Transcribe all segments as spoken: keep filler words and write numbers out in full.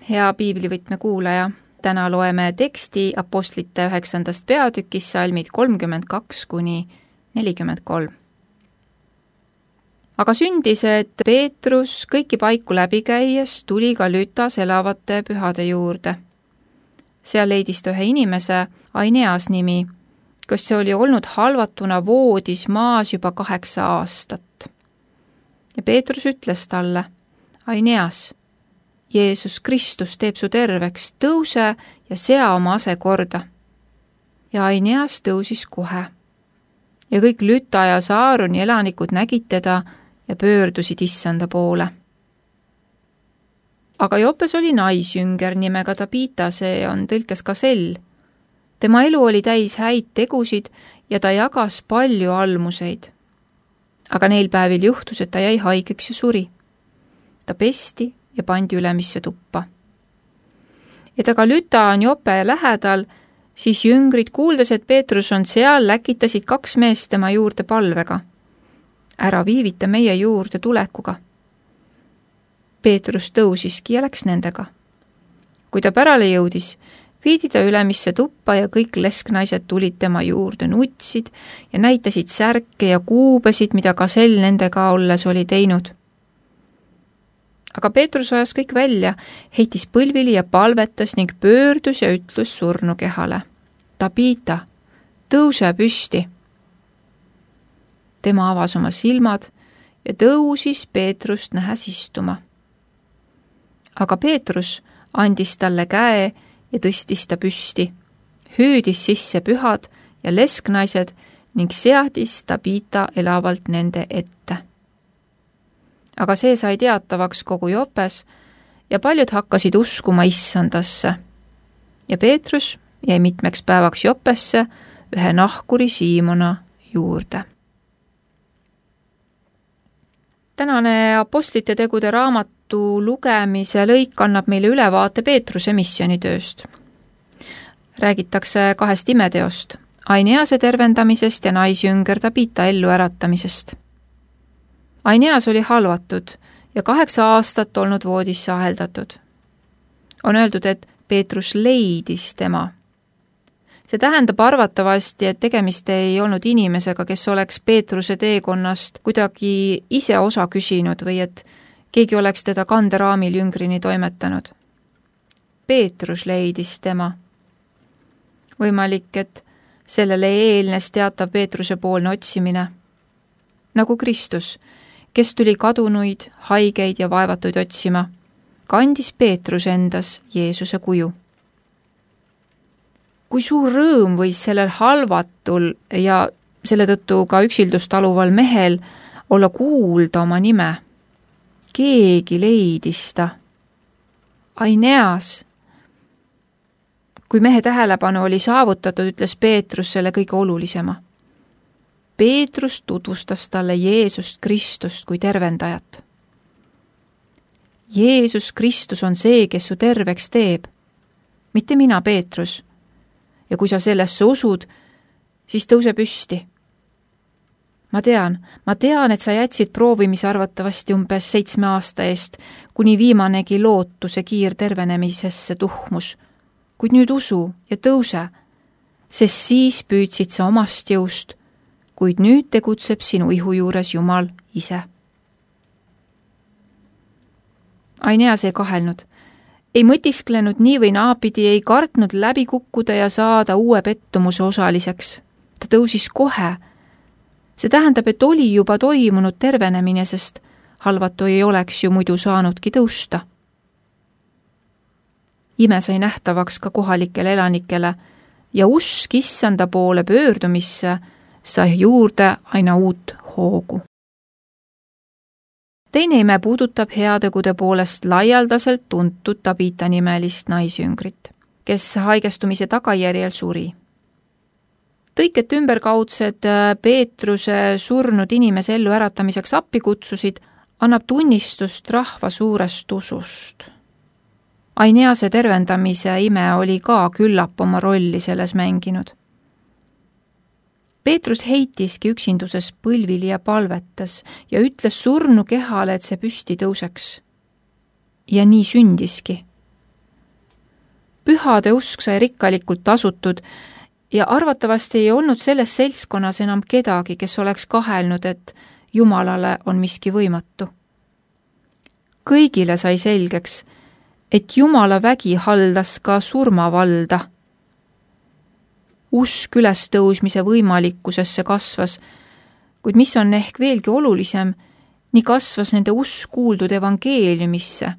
hea piiblivõtme kuulaja! Täna loeme teksti Apostlite üheksandast peatükis salmid kolmkümmend kaks kuni nelikümmend kolm. Aga sündis, et Peetrus kõiki paiku läbi käies tuli ka Lütas elavate pühade juurde. Seal leidis ta ühe inimese, Aineas nimi, kes oli olnud halvatuna voodis maas juba kaheksa aastat. Ja Peetrus ütles talle, Aineas, Jeesus Kristus teeb su terveks, tõuse ja sea oma ase korda. Ja Aineas tõusis kohe. Ja kõik Lüta ja Saaroni elanikud nägid teda ja pöördusid issanda poole. Aga Joppes oli naisjünger nimega Tabita, see on tõlkes Kasell. Tema elu oli täis häid tegusid ja ta jagas palju almuseid. Aga neil päevil juhtus, et ta jäi haigeks ja suri. Ta pesti ja pandi ülemisse tuppa. Et aga Lüta on Joppe lähedal, siis jüngrid kuuldes, et Peetrus on seal, läkitasid kaks meest tema juurde palvega. Ära viivita meie juurde tulekuga. Peetrus tõusiski ja läks nendega. Kui ta pärale jõudis, viidi ta ülemisse tuppa ja kõik lesknaised tulid tema juurde, nutsid ja näitasid särke ja kuubesid, mida Kasell nendega olles oli teinud. Aga Peetrus ajas kõik välja, heitis põlvili ja palvetas ning pöördus ja ütlus surnu kehale. Tabita, tõuse püsti. Tema avas oma silmad ja tõusis Peetrust nähes istuma. Aga Peetrus andis talle käe ja tõstis ta püsti, hüüdis sisse pühad ja lesknaised ning seadis Tabita elavalt nende ette. Aga see sai teatavaks kogu Joppes ja paljud hakkasid uskuma issandasse. Ja Peetrus jäi mitmeks päevaks Joppesse ühe nahkuri Siimona juurde. Tänane Apostlite tegude raamatu lugemise lõik annab meile ülevaate Peetruse missionitööst. Räägitakse kahest imeteost, Ainease tervendamisest ja naisjünger Tabita ellu äratamisest. Aineas oli halvatud ja kaheksa aastat olnud voodisse aheldatud. On öeldud, et Peetrus leidis tema. See tähendab arvatavasti, et tegemist ei olnud inimesega, kes oleks Peetruse teekonnast kuidagi ise osa küsinud või et keegi oleks teda kanderaamil jüngrini toimetanud. Peetrus leidis tema. Võimalik, et sellele eelnes teatav Peetruse poolne otsimine. Nagu Kristus, kes tuli kadunuid, haigeid ja vaevatuid otsima, kandis Peetrus endas Jeesuse kuju. Kui suur rõõm võis sellel halvatul ja selle tõttu ka üksildust taluval mehel olla kuulda oma nime. Keegi leidis ta. Aineas. Kui mehe tähelepanu oli saavutatud, ütles Peetrus selle kõige olulisema. Peetrus tutvustas talle Jeesust Kristust kui tervendajat. Jeesus Kristus on see, kes su terveks teeb. Mitte mina, Peetrus. Ja kui sa sellesse usud, siis tõuse püsti. Ma tean, ma tean, et sa jätsid proovimise arvatavasti umbes seitsme aasta eest, kuni viimanegi lootuse kiir tervenemisesse tuhmus. Kuid nüüd usu ja tõuse, sest siis püüdsid sa omast jõust, kuid nüüd tegutseb sinu ihu juures Jumal ise. Aineas ei kahelnud, ei mõtisklenud nii või naapidi, ei kartnud läbi kukkuda ja saada uue pettumuse osaliseks. Ta tõusis kohe. See tähendab, et oli juba toimunud tervenemine, sest halvatu ei oleks ju muidu saanudki tõusta. Ime sai nähtavaks ka kohalikele elanikele ja usk issanda poole pöördumisse sai juurde aina uut hoogu. Teine ime puudutab heategude poolest laialdaselt tuntud Tabita nimelist naisjüngrit, kes haigestumise tagajärjel suri. Tõiket ümberkaudsed Peetruse surnud inimese ellu äratamiseks appi kutsusid, annab tunnistust rahva suurest usust. Ainease tervendamise ime oli ka küllap oma rolli selles mänginud. Peetrus heitiski üksinduses põlvili ja palvetas ja ütles surnu kehale, et see püsti tõuseks. Ja nii sündiski. pühade usk sai rikkalikult tasutud ja arvatavasti ei olnud selles seltskonnas enam kedagi, kes oleks kahelnud, et Jumalale on miski võimatu. Kõigile sai selgeks, et Jumala vägi haldas ka surmavalda. Usk ülestõusmise võimalikkusesse kasvas, kuid mis on ehk veelgi olulisem, nii kasvas nende usk kuuldud evangeeliumisse,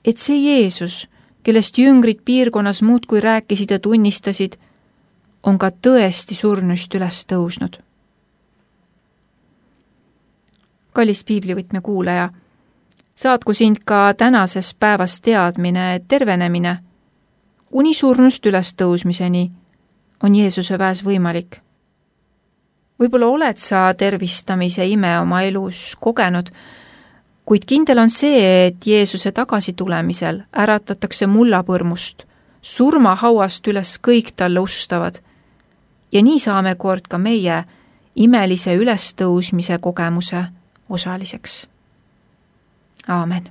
et see Jeesus, kellest jüngrid piirkonnas muudkui rääkisid ja tunnistasid, on ka tõesti surnuist üles tõusnud. Kallis piiblivõtme kuulaja, saatku sind ka tänases päevas teadmine, et tervenemine kuni surnust üles tõusmiseni on Jeesuse väes võimalik. Võib-olla oled sa tervistamise ime oma elus kogenud, kuid kindel on see, et Jeesuse tagasitulemisel äratatakse mullapõrmust, surmahauast üles kõik talle ustavad ja nii saame kord ka meie imelise ülestõusmise kogemuse osaliseks. Aamen.